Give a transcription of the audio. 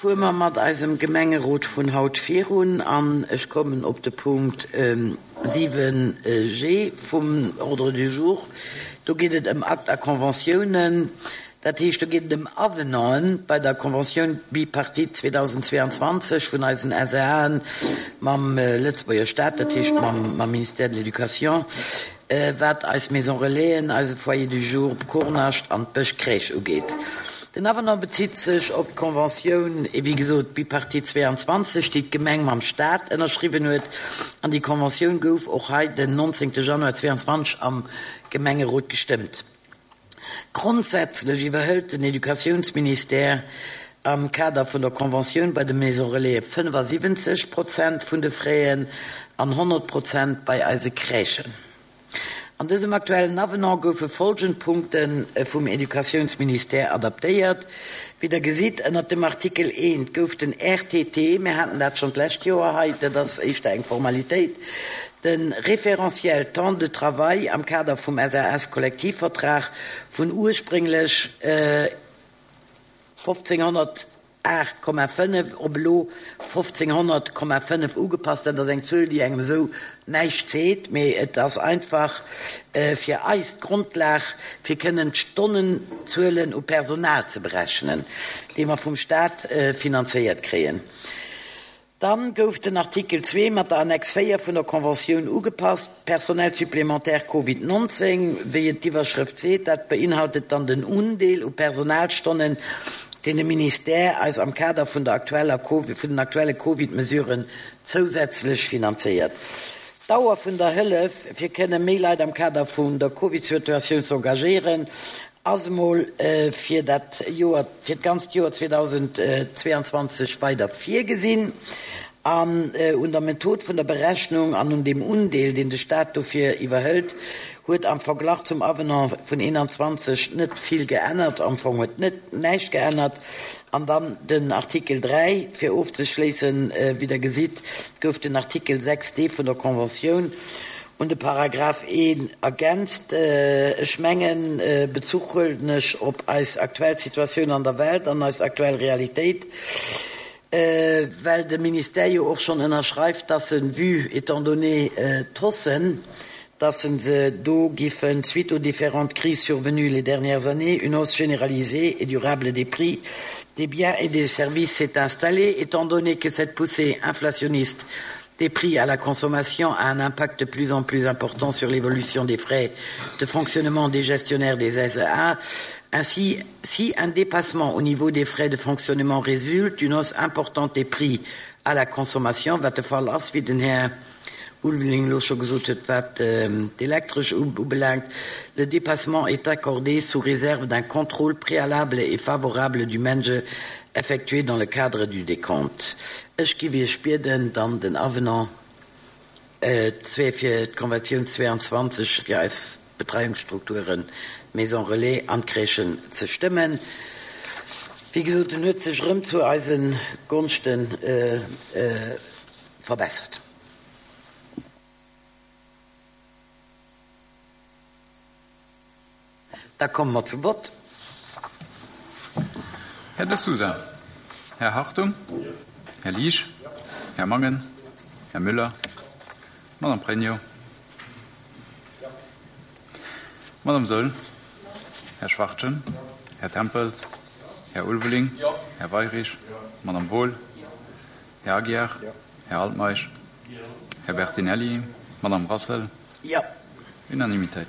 Fuere mer mat eisem Gemengerot vun haut virun an ech kommen op de Punkt 7 G vum Ordre du jour. Do geet et ëm Akt a Conventiounen. Dat heescht, do geet et ëm Avenanten bei der Conventioun bipartite 2022 vun eisen SAen mam Lëtzebuerger Staat, dat heescht mam Ministère de l'Éducation, wat eis Maison Relaisen, eise Foyer du jour op Kornascht an d'Bësch Crèche ugeet. Den Avenant bezitt sech op d'Conventioun, wéi gesot, bipartite 22, déi d'Gemeng mam Staat ënnerschriwwen huet. An déi Conventioun gouf och hei den 19 Januar 22 am Gemengerot gestëmmt. Grondsätzlech iwwerhëlt den Educatiounsministère am Kader vun der Conventioun bei de Maisons Relaisen 75 Prozent vun de Fräen an 100 Prozent bei eise Crèchen. An dësem aktuellen Avenant goufe folgend Punkte vum Educatiounsministère adaptéiert. Wéi Der gesitt, ënnert dem Artikel 1 gouf den RTT, mir haten dat schonn d'lescht Joer hei, dat ass éischter eng Formalitéit, De Référentiel temps de travail am Kader vum SAS-Kollektivvertrag vun ursprénglech 1508,5 op elo 1500,5 ugepasst. Dat ass eng Zuel, déi engem esou näischt seet, mee et ass einfach fir eis d'Grondlag, fir kënnen d'Stonnenzuelen u Personal ze berechnen, déi mer vum Stat finanzéiert kréien. Dann gouf den Artikel 2 mat der Annex 4 vun der Conventioun ugepasst, Personnel supplémentaire Covid 19, wéi et d'Iwwerschrëft seet. Dat beinhaltet dann den Undeel u Personalstonnen, deen de Ministère eis am Kader vun der aktueller vun den aktuelle Covid-Mesuren zousätzlech finanzéiert. D'Dauer vun der Hëllef, fir kënne méi Leit am Kader vun der Covid-Situatioun z'engagéieren, ass emol fir dat Joer, fir d'ganzt Joer 2022 weider virgesinn. An un der Method vun der Berechnung an un deem Undeel, deen de Staat dofir iwwerhëlt, huet am Verglach zum Avenant vun 21 net vill geännert, am Fong huet net näischt geännert. An dann den Artikel 3, fir ofzeschléissen, wéi Der gesitt, gouf den Artikel 6 d vun der Conventioun Un de Paragraph 1 ergänzt. Ech mengen, Bezuch huelen ech op eis aktuell Situatioun an der Welt an eis aktuell Realitéit, well de Ministère jo och schonn ënnerschreift, dass en, vu, étant donné d'Haussen, dass en se do giffen, suite aux différentes crises survenues les dernières années, une hausse généralisée et durable des prix des biens et des services s'est installée, étant donné que cette poussée inflationniste des prix à la consommation a un impact de plus en plus important sur l'évolution des frais de fonctionnement des gestionnaires des SEA. Ainsi, si un dépassement au niveau des frais de fonctionnement résulte d'une hausse importante des prix à la consommation, wat de Fall ass, wéi den Här Ulveling elo scho gesot huet, wat d'Elektresch ubelaangt, le dépassement est accordé sous réserve d'un contrôle préalable et favorable du MENJE effectué dans le cadre du décompte. Ech giff Iech bieden, dann den Avenant 2 fir d'Konventioun 22 fir eis Betreiungsstrukturen, d'Maisons Relais an d'Crèchen ze stëmmen. Wéi gesot, en huet sech erëm zu eise Gonschte verbessert. Da komme mer zum Vott. Här De Sousa. Här Hartung. Här Liesch. Här Mangen. Här Müller. Madame Pregno. Madame Saeul. Här Schwachtgen. Här Tempels. Här Ulveling. Här Weirich. Madame Wohl. Här Aguiar. Här Altmeisch. Här Bertinelli. Madame Rassel. Jo. Unanimitéit.